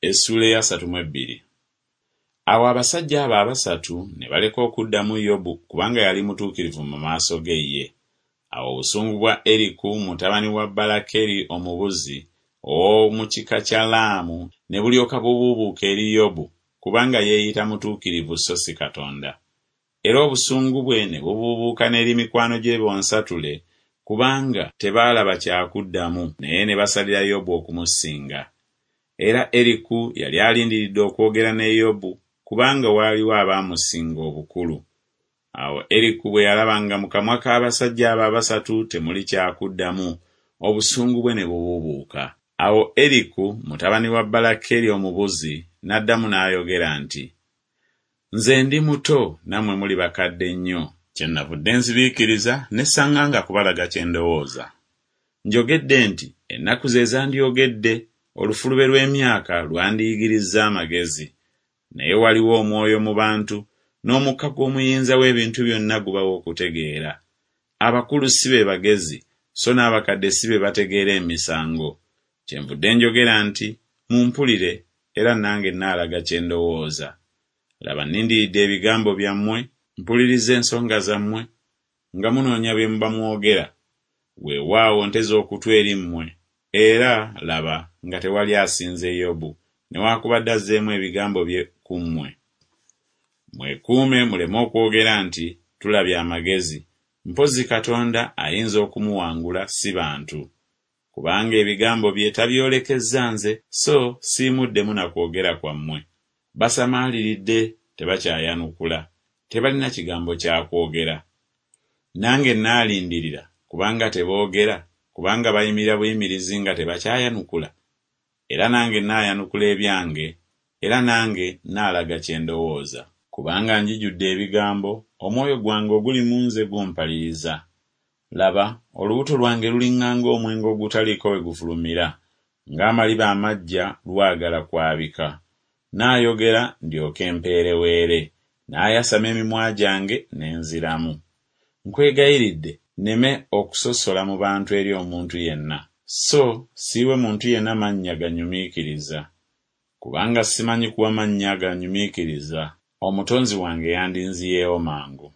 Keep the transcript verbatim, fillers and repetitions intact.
Essuula ey'asatu mu ebbiri. Awo abasajja abo abasatu ne baleka okuddamu Yobu kubanga yali mutuukirivu mu maaso ge ye. Awo obusungu bwa Eriku mutabani wa Balakeri Omubuzi ow'omu kika kya Laamu ne bulyoka bubuubuuka eri Yobu kubanga yeeyita mutuukirivu so si Katonda. Era obusungu bwe ne bubuubuuka n'eri mikwano gye bonsatule kubanga tebaalaba kyakuddamu naye ne basalira Yobu okumusinga. Era Eriku yali alindiridde okwogera ne Yobu kubanga waaliwo abaamusinga obukulu. Awo Eriku bwe yalaba nga mu kamwa k'abasajja abo abasatu temuli kyakuddamu, obusungu bwe ne bubuubuuka. Awo Eriku mutabani wa Balakeri Omubuzi n'addamu n'ayogera nti, Nze ndi muto nammwe muli bakadde nnyo. Kyennavudde nzibiikiriza ne saŋŋanga kubalaga kye ndowooza. Njogedde nti ennaku ze zandyogedde, olufulube lw'emyaka lwandiyigirizza amagezi. Naye waliwo omwoyo mu bantu, n'omukka gw'Omuyinza w'ebintu byonna gubawa okutegeera. Abakulu si be bagezi, so n'abakadde si be bategeera emisango. Kyenvudde njogera nti, Mumpulire, era nange nnaalaga kye ndowooza. Laba nnindiridde ebigambo byammwe, mpuliriza ensonga zammwe, nga munoonya bye muba mwogera. Weewaawo nteze okutu eri mmwe, era, laba, nga tewali asinze Yobu, newaakubadde azzeemu ebigambo bye ku mmwe. Mwekuume muleme okwogera nti, Tulabye amagezi, mpozzi Katonda ayinza okumuwangula si bantu. Kubanga ebigambo bye tabyolekezza nze, so siimuddemu na kwogera kwammwe. Basamaaliridde, tebakyayanukula, tebalina kigambo kya kwogera. Nange naalindirira, kubanga teboogera, kubanga bayimirira buyimirizi nga tebakyayanukula. Era nange naayanukula ebyange, era nange naalaga kye ndowooza. Kubanga njijudde ebigambo, omwoyo gwange oguli mu nze gumpaliriza. Laba, olubuto lwange luliŋŋanga omwenge ogutaliiko we gufulumira, ng'amaliba amaggya lwagala kwabika. Naayogera ndyoke mpeereweere, naayasama emimwa gyange ne nziramu. Nkwegayiridde nneme okusosola mu bantu eri omuntu yenna, so siiwe muntu yenna mannya ganyumiikiriza. Kubanga simanyi kuwa mannya ganyumiikiriza, Omutonzi wange yandinziyeewo mangu.